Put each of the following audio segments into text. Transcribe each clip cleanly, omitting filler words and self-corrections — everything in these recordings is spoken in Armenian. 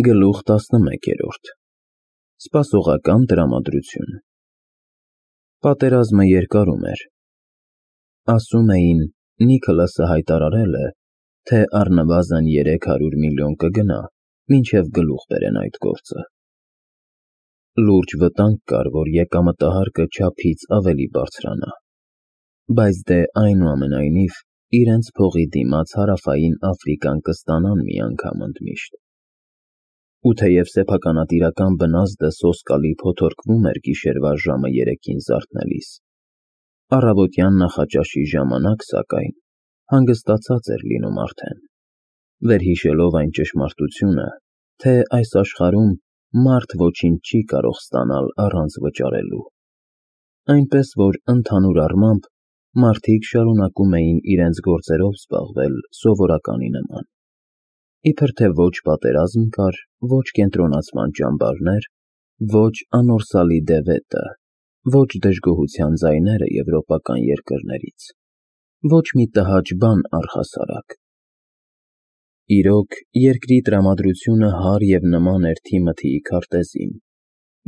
Գլուխ 11 Սպասողական տրամադրություն Պատերազմը երկարում էր։ Ասում էին, Նիքոլասը հայտարարել է, թե առնվազն 300 միլիոն կգնա, մինչև գլուխ բերեն այդ գործը։ Լուրջ վտանգ կար, որ եկամտահարկը չափից ավելի բարձրանա, բայց դե այնուամենայնիվ իրենց փողի դիմաց Հարավային Աֆրիկան կստանան մի անգամ ընդմիշտ։ Ու թեև սեփականատիրական բնազդը սոսկալի փոթորկվում էր գիշերվա ժամը 3-ին զարթնելիս, առավոտյան նախաճաշի ժամանակ, սակայն, հանգստացած էր լինում արդեն, վերհիշելով այն ճշմարտությունը, թե այս աշխարհում մարդ ոչինչ չի կարող ստանալ առանց վճարելու, այնպես որ ընդհանուր առմամբ մարդիկ շարունակում էին իրենց գործերով զբաղվել սովորականի նման, իբր թե ոչ պատերազմ կար, ոչ կենտրոնացման ճամբարներ, ոչ անորսալի դևետը, ոչ դժգոհության ձայները եվրոպական երկրներից, ոչ մի տհաճ բան առհասարակ։ Իրոք, երկրի տրամադրությունը հարր և նման էր Թիմոթիի քարտեզին,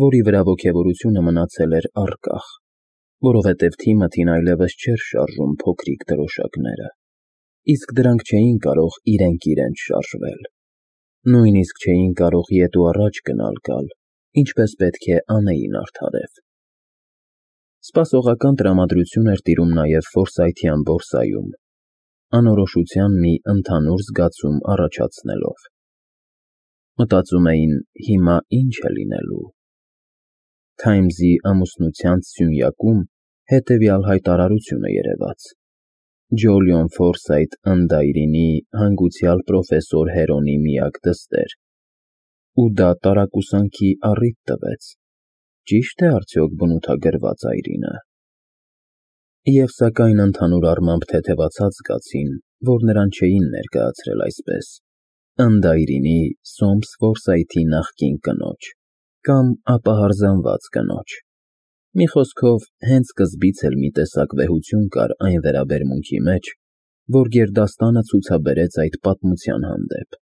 որի վրա ոգևորությունը մնացել էր առկախ, որովհետև Թիմոթին այլևս չէր շարժում փոքրիկ դրոշակները, իսկ դրանք չէին կարող իրենք իրենց շարժվել, նույնիսկ չէին կարող ետ ու առաջ գնալ, ինչպես պետք է անեին արդարև։ Սպասողական տրամադրություն էր տիրում նաև Ֆորսայթյան բորսայում, անորոշության մի ընդհանուր զգացում առաջացնելով։ Մտածում էին, հիմա ինչ է լինելու։ Թայմզի ամուսնության սյունյակում հետևյալ հայտարարությունը երևաց. Ջոլիոն Ֆորսայթ Ընդայրինի հանգուցյալ պրոֆեսոր Հերոնի միակ դստեր, ու դա տարակուսանքի առիթ տվեց, ճի՞շտ է արդյոք բնութագրված այրինը։ Եվ սակայն ընդհանուր առմամբ թեթևացած զգացին, որ նրան չէին ներկայացրել այսպես. Ընդայրինի Սոմս Ֆորսայթի նախկին կնոջ, կամ ապահարզանված կնոջ։ Մի խոսքով, հենց սկզբից էլ մի տեսակ վեհություն կար այն վերաբերմունքի մեջ, որ գերդաստանը ցուցաբերեց այդ պատմության հանդեպ։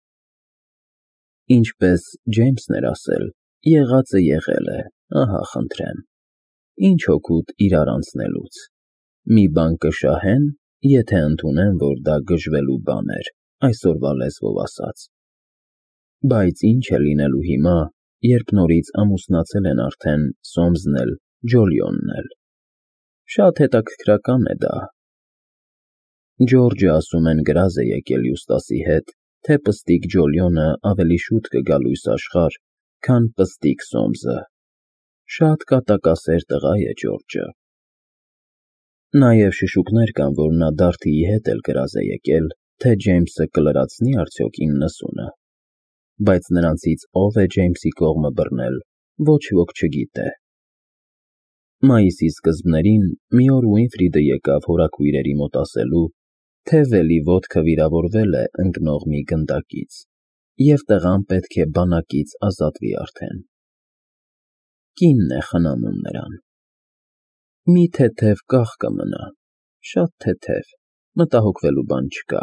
Ինչպես Ջեյմսն էր ասել, եղածը եղել է, ահա խնդրեմ, ինչ օգուտ իրար անցնելուց, մի բան կշահեն, եթե ընդունեն, որ դա գժվելու բան էր, այսօրվա լեզվով ասած։ Բայց ինչ է լինելու հիմա, երբ նորից ամուսնացել են արդեն Սոմսն էլ, Ջոլիոնն էլ։ Շատ հետաքրքրական է դա։ Ջորջը ասում են գրազ է եկել Յուստասի հետ, թե պստիկ Ջոլիոնը ավելի շուտ կգա լույս աշխարհ, քան պստիկ Սոմսը։ Շատ կատակասեր տղա է Ջորջը։ Նաև շշուկներ կան, որ նա Դարթիի հետ էլ գրազ է եկել, թե Ջեյմսը կլրացնի արդյոք 90-ը։ Բայց նրանցից ով է Ջեյմսի կողմը բռնել, ոչ ոք չգիտե։ Մայիսի սկզբներին մի օր Ուինֆրիդը եկավ հորաքույրերի մոտ ասելու, թե Վելի ոտքը վիրավորվել է ընկնող մի գնդակից, և տղան պետք է բանակից ազատվի արդեն։ Կինն է խնամում նրան։ Մի թեթև կաղ կմնա, շատ թեթև, մտահոգվելու բան չկա։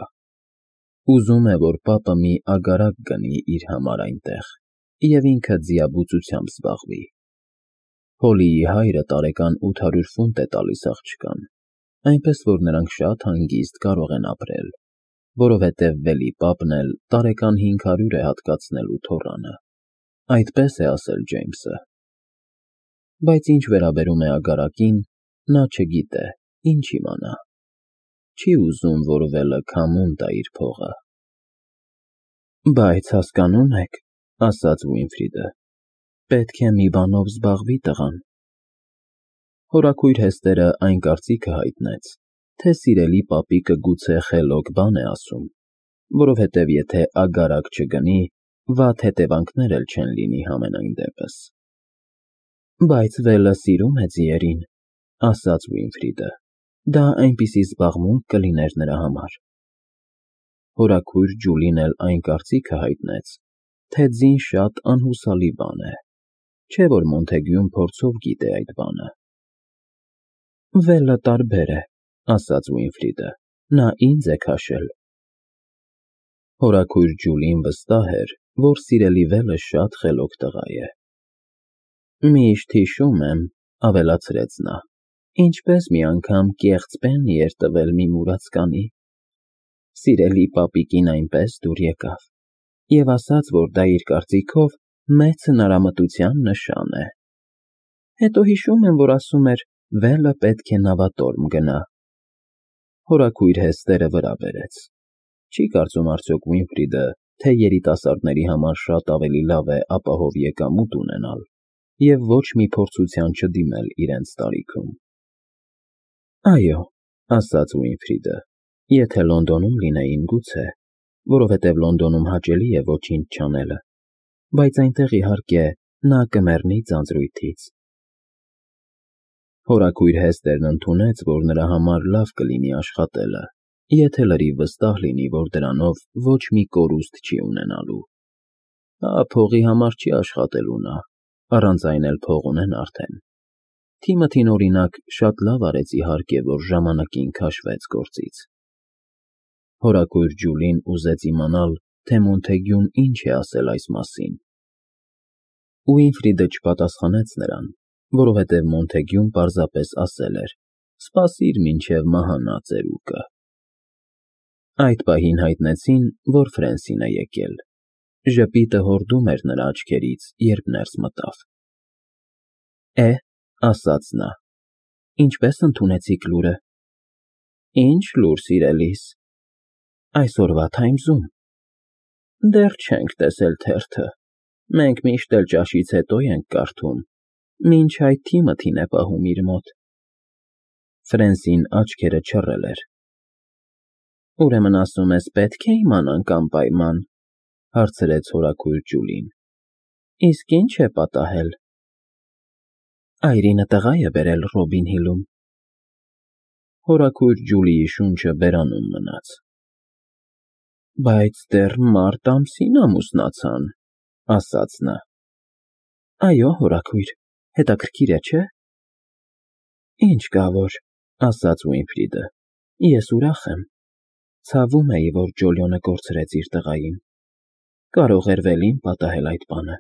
Ուզում է, որ պապը մի ագարակ գնի իր համար այնտեղ, և ինքը ձիաբուծությամբ զբաղվի։ Հոլիի հայրը տարեկան 800 ֆունտ է տալիս աղջկան, այնպես որ նրանք շատ հանգիստ կարող են ապրել, որովհետև Վելի պապն էլ տարեկան 500 է հատկացնելու թոռանը, այդպես է ասել Ջեյմսը։ Բայց ինչ վերաբերում է ագարակին, նա չգիտե, ինչ իմանա։ Չի ուզում, որ Վելը քամուն տա իր փողը։ Բայց հասկանում եք, ասաց Ուինֆրիդը, պետք է մի բանով զբաղվի տղան։ Հորաքույր Հեստերը այն կարծիքը հայտնեց, թե սիրելի պապիկը գուցե խելոք բան է ասում, որովհետև եթե ագարակ չգնի, վատ հետևանքներ էլ չեն լինի համենայն դեպս։ Բայց Վելը սիրում է ձիերին, ասաց Ուինֆրիդը, դա այնպիսի զբաղմունք կլիներ նրա համար։ Հորաքույր Ջուլին էլ այն կարծիքը հայտնեց, թե ձին շատ անհուսալի բան է, չէ՞ որ Մոնթեգյուն փորձով գիտե այդ բանը։ Վելը տարբեր է, ասաց Ուինֆրիդը, նա ինձ է քաշել։ Հորաքույր Ջուլին վստահ էր, որ սիրելի վելը շատ խելոք տղա է։ Միշտ հիշում եմ, ավելացրեց նա, ինչպես մի անգամ կեղծ բեն էր տվել մի մուրացկանի։ Սիրելի պապիկին այնպես դուր եկավ և ասաց, որ դա իր կարծիքով մեծ հնարամտության նշան է։ Հետո հիշում եմ, որ ասում էր, վելը պետք է նավատորմ գնա։ Հորաքույր Հեստերը վրա բերեց։ Չի կարծում արդյոք Ուինֆրիդը, թե երիտասարդների համար շատ ավելի լավ է ապահով եկամուտ ունենալ և ոչ մի փորձության չդիմել իրենց տարիքում։ Այո, ասաց Ուինֆրիդը, եթե Լոնդոնում լինեին գուցե, որովհետև Լոնդոնում հաճելի է ոչինչ չանելը, բայց այնտեղ իհարկե նա կմեռնի ձանձրույթից։ Հորաքույր Հեստերն ընդունեց, որ նրա համար լավ կլինի աշխատելը, եթե լրիվ վստահ լինի, որ դրանով ոչ մի կորուստ չի ունենալու։ Փողի համար չի աշխատելու նա, առանց այն էլ փող ունեն արդեն։ Թիմոթին, օրինակ, շատ լավ արեց իհարկե, որ ժամանակին քաշվեց գործից։ Հորաքույր Ջուլին ուզեց իմանալ, թե Մոնթեգյուն ինչ է ասել այս մասին։ Ուինֆրիդը չպատասխանեց նրան, որովհետև Մոնթեգյուն պարզապես ասել էր. «Սպասիր, մինչև մահանա ծերուկը»։ Այդ պահին հայտնեցին, որ Ֆրենսին է եկել։ Ժպիտը հորդում էր նրա աչքերից, երբ ներս մտավ։ Ասաց նա, ինչպե՞ս ընդունեցիք լուրը։ Ինչ լուր, սիրելիս։ Այսօրվա Թայմզում։ Դեռ չենք տեսել թերթը։ Մենք միշտ էլ ճաշից հետո ենք կարդում, մինչ այդ Թիմոթին է պահում իր մոտ։ Ֆրենսին աչքերը չռել էր։ Ուրեմն ասում ես, պետք է իմանանք անպայման, հարցրեց հորաքույր Ջուլին։ Իսկ ինչ է պատահել։ Այրինը տղա է բերել Ռոբին Հիլում։ Հորաքույր Ջուլիի շունչը բերանում մնաց։ Բայց դեռ մարտ ամսին ամուսնացան, ասաց նա։ Այո, հորաքույր, հետաքրքիր է, չէ՞։ Ինչ կա որ, ասաց Ուինֆրիդը, ես ուրախ եմ։ Ցավում էի, որ Ջոլիոնը կորցրեց իր տղային։ Կարող էր Վելին պատահել այդ բանը։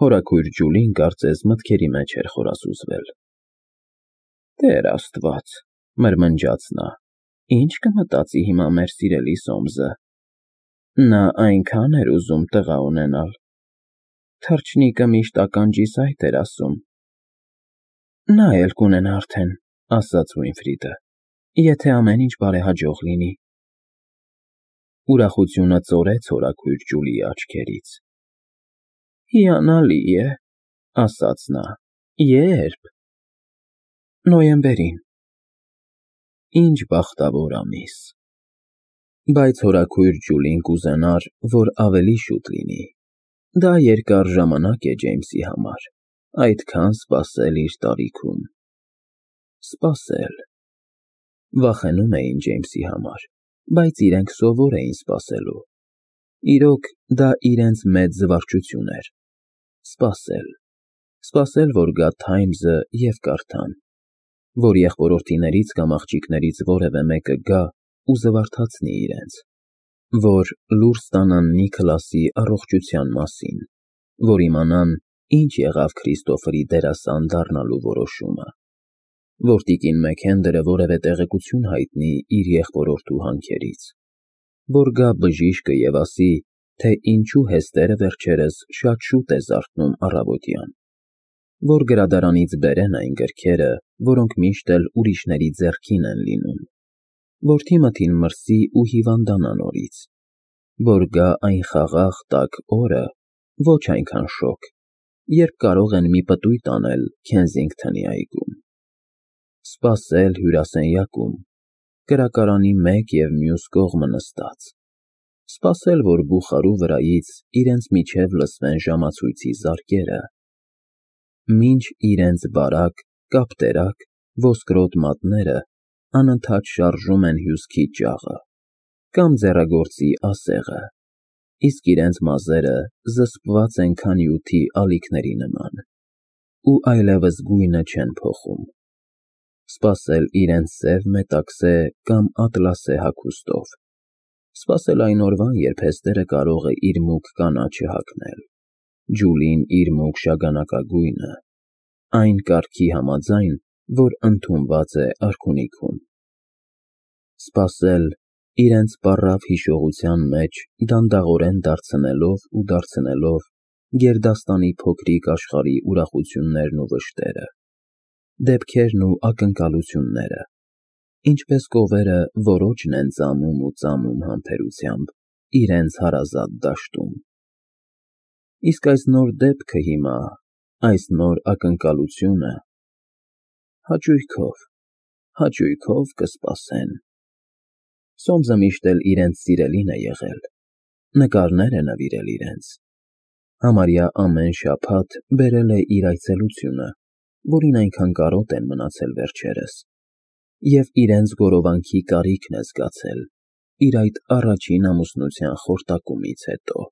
Հորաքույր Ջուլին կարծես մտքերի մեջ էր խորասուզվել։ Տեր Աստված, մրմնջաց նա, ինչ կմտածի հիմա մեր սիրելի Սոմսը։ Նա այնքան էր ուզում տղա ունենալ։ Թռչնիկը միշտ ականջիս այդ էր ասում։ Նա էլ կունենա արդեն, ասաց Ուինֆրիդը, եթե ամեն ինչ բարեհաջող լինի։ Ուրախությունը ծորեց հորաքույր Ջուլիի աչքերից։ Հիանալի է, ասաց նա, երբ։ Նոյեմբերին։ Ինչ բախտավոր ամիս։ Բայց հորաքույր Ջուլին կուզենար, որ ավելի շուտ լինի։ Դա երկար ժամանակ է Ջեյմսի համար, այդքան սպասել իր տարիքում։ Սպասել։ Վախենում էին Ջեյմսի համար, բայց իրենք սովոր էին սպասելու։ Իրոք, դա իրենց մեծ զվարճություն էր։ Սպասել, որ գա Թայմզը և կարդան, որ եղբորորդիներից կամ աղջիկներից որևէ մեկը գա ու զվարթացնի իրենց, որ լուր ստանան Նիքլասի առողջության մասին, որ իմանան, ինչ եղավ Քրիստոֆերի դերասան դառնալու որոշումը, որ տիկին Մեքենդերը որևէ տեղեկություն հայտնի իր եղբորորդու հանքերից, որ գա բժիշկը և ասի, թե ինչու Հեստերը վերջերս շատ շուտ է զարթնում առավոտյան, որ գրադարանից բերեն այն գրքերը, որոնք միշտ էլ ուրիշների ձեռքին են լինում, որ Թիմոթին մրսի ու հիվանդանա նորից, որ գա այն խաղաղ տաք օրը, ոչ այնքան շոգ, երբ կարող են մի պտույտ անել Քենսինգթոնի այգում։ Սպասել հյուրասենյակում, կրակարանի մեկ և մյուս կողմը նստած։ Սպասել, որ բուխարու վրայից իրենց միջև լսվեն ժամացույցի զարկերը, մինչ իրենց բարակ, կապտերակ, ոսկրոտ մատները անընդհատ շարժում են հյուսքի ճաղը կամ ձեռագործի ասեղը, իսկ իրենց մազերը զսպված են քանյութի ալիքների նման ու այլևս գույնը չեն փոխում։ Սպասել իրենց սև մետաքսե կամ ատլասե հագուստով։ Սպասել այն օրվան, երբ Հեստերը կարող է իր մուգ կանաչը հագնել, Ջուլին իր մուգ շագանակագույնը, այն կարգի համաձայն, որ ընդունված է արքունիքում։ Սպասել, իրենց պառավ հիշողության մեջ դանդաղորեն դարձնելով գերդաստանի փոքրիկ աշխարհի ուրախություններն ու վշտերը, դեպքերն ու ակնկալությունները, ինչպես կովերը որոջն են ծամում համբերությամբ իրենց հարազատ դաշտում։ Իսկ այս նոր դեպքը հիմա, այս նոր ակնկալությունը հաճույքով կսպասեն։ Սոմսը միշտ էլ իրենց սիրելին է եղել, նկարներ է նվիրել իրենց, համարյա ամեն շաբաթ բերել է իր այցելությունը, որին այնքան կարոտ են մնացել վերջերս, և իրենց գորովանքի կարիքն է զգացել իր այդ առաջին ամուսնության խորտակումից հետո։